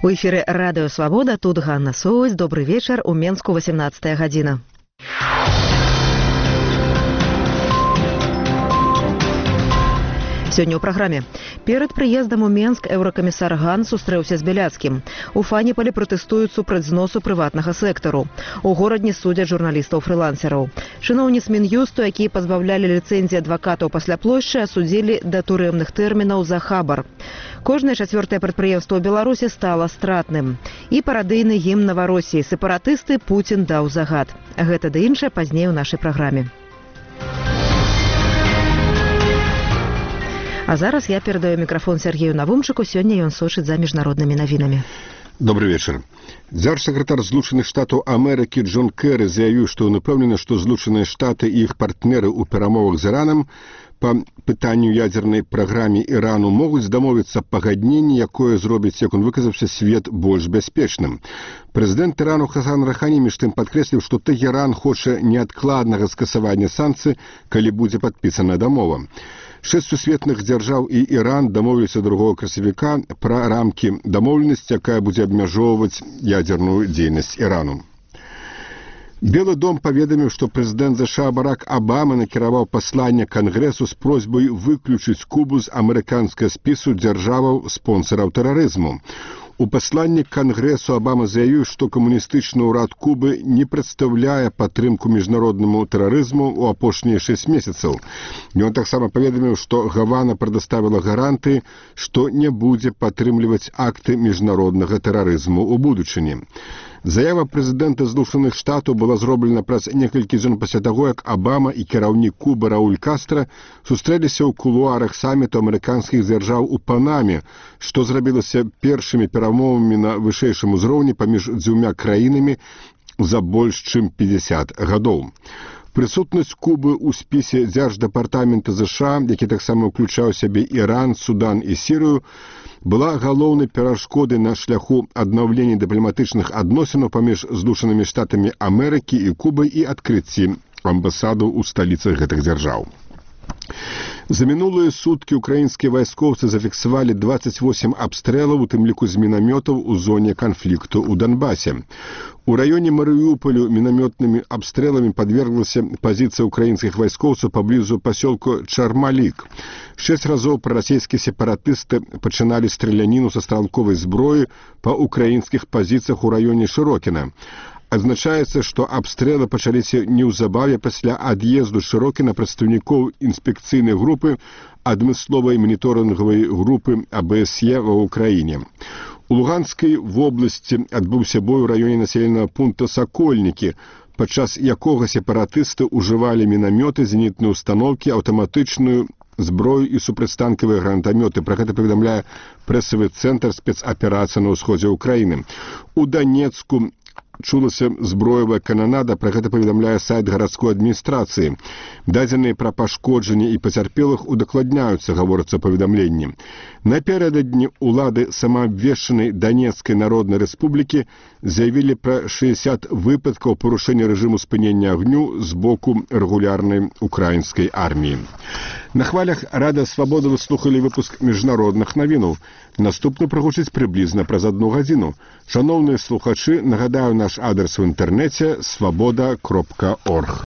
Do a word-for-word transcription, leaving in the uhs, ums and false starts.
У эфіры радыё Свабода, тут Ганна Соўць. Добры вечар, у Менску восемнадцатая гадзіна. Сёння ў праграме. Перад прыездам у Менск еўракамісар Ган сустрэўся з Бяляцкім. У Фаніполі пратэстуюць супраць зносу прыватнага сектару. У горадні судзяць журналістаў-фрылансераў. Чыноўніц Мін'юсту, якія пазбаўлялі ліцэнзіі адвакатаў пасля плошчы, асудзілі да турэмных тэрмінаў за хабар. Кожнае чацвёртае прадпрыемства ў Беларусі стала стратным. І парадыйны гімн Наваросіі сепаратысты Пуцін даў загад. Гэта ды іншае пазней у нашай праграме. А зараз я перадаю мікрафон Сергею Навумчыку, сёння ён сочыць за міжнароднымі навінамі. Добрый вечер. Дзяржсакратар Злучаных Штатаў Амерыкі Джон Кэры заявіў, што ён упэўнены, што Злучаныя Штаты і іх партнеры ў перамовах з Іранам па пытанню ядзернай праграме Ірану могуць дамовіцца пагадненне, якое зробіць, як он выказаўся, свет больш бяспечным. Прэзідэнт Ірану Хасан Рахані між тым падкрэсліў, што Тэгеран хоча неадкладнага скасавання санкцый, калі будзе падпісана дамова. Шэсць сусветных дзяржаў і Іран дамовіліся другога красавіка пра рамкі дамоўленасці, якая будзе абмяжоўваць ядзерную дзейнасць Ірану. Белы дом паведаміў, што прэзідэнт ЗША Барак Абама накіраваў пасланне Кангрэсу з просьбай выключыць Кубу з амерыканскага спісу дзяржаваў спонсараў тэрарызму. У пасланні Кангрэсу Абама заявіў, што камуністычны ўрад Кубы не прадстаўляе падтрымку міжнароднаму тэрарызму ў апошнія шэсць месяцаў. Ён таксама паведаміў, што Гавана прадставіла гаранты, што не будзе падтрымліваць акты міжнароднага тэрарызму ў будучыні. Заява прэзідэнта Злучаных Штатаў была зроблена праз некалькі дзён пасля таго, як Абама і кіраўнік Кубы Рауль Кастра сустрэліся ў кулуарах саміту амерыканскіх дзяржаў у Панаме, што зрабілася першымі перамовамі на вышэйшым узроўні паміж дзвюма краінамі за больш чым пятьдесят гадоў. Прысутнасць Кубы ў спісе дзярждэпартамента ЗША, які таксама ўключаў сябе Іран, Судан і Сірыю, была галоўнай перашкодай на шляху аднаўлення дыпламатычных адносінаў паміж Злучанымі Штатамі Амерыкі і Кубай і адкрыцці амбасадаў у сталіцах гэтых дзяржаў. За мінулыя суткі украінскія вайскоўцы зафіксавалі двадцать восемь абстрэлаў, у тым ліку з мінамётаў у зоне канфлікту ў Донбасе. У раёне Марыуполю мінамётнымі абстрэламі падверглася пазіцыя украінскіх вайскоўцаў паблізу пасёлку Чармалік. Шэсць разоў прарасійскія сепаратысты пачыналі страляніну са стралковай зброі па украінскіх пазіцыях у раёне Шырокіна. Адзначаецца, што абстрэлы пачаліся неўзабаве пасля ад'езду Шырокіна прадстаўнікоў інспекцыйнай групы адмысловай маніторынгавай групы АБСЕ ва ўкраіне. У Луганскай вобласці адбыўся бой у раёне населенага пункта Сакольнікі, падчас якога сепаратысты ўжывалі мінамёты, зенітныя установкі, аўтаматычную зброю і супрацьтанкавыя гранатамёты. Пра гэта паведамляе прэсавы цэнтр спецаперацыі на ўсходзе ўкраіны. У Данецку чулася зброевая кананада, пра гэта паведамляе сайт гарадской адміністрацыі. Дадзеныя пра пашкоджанні і пацярпелых удакладняюцца, гаворыцца паведамленні. Напярэдадні улады самаабвешчанай Данецкай народнай рэспублікі заявілі пра шэсцьдзесят выпадкаў парушэння рэжыму спынення агню з боку рэгулярнай украінскай арміі. На хвалях Радыё Свабода вы слухалі выпуск міжнародных навінаў. Наступны прагучыць прыблізна праз адну гадзіну. Шаноўныя слухачы, нагадаю наш адрес у інтэрнэце свабода кропка орг.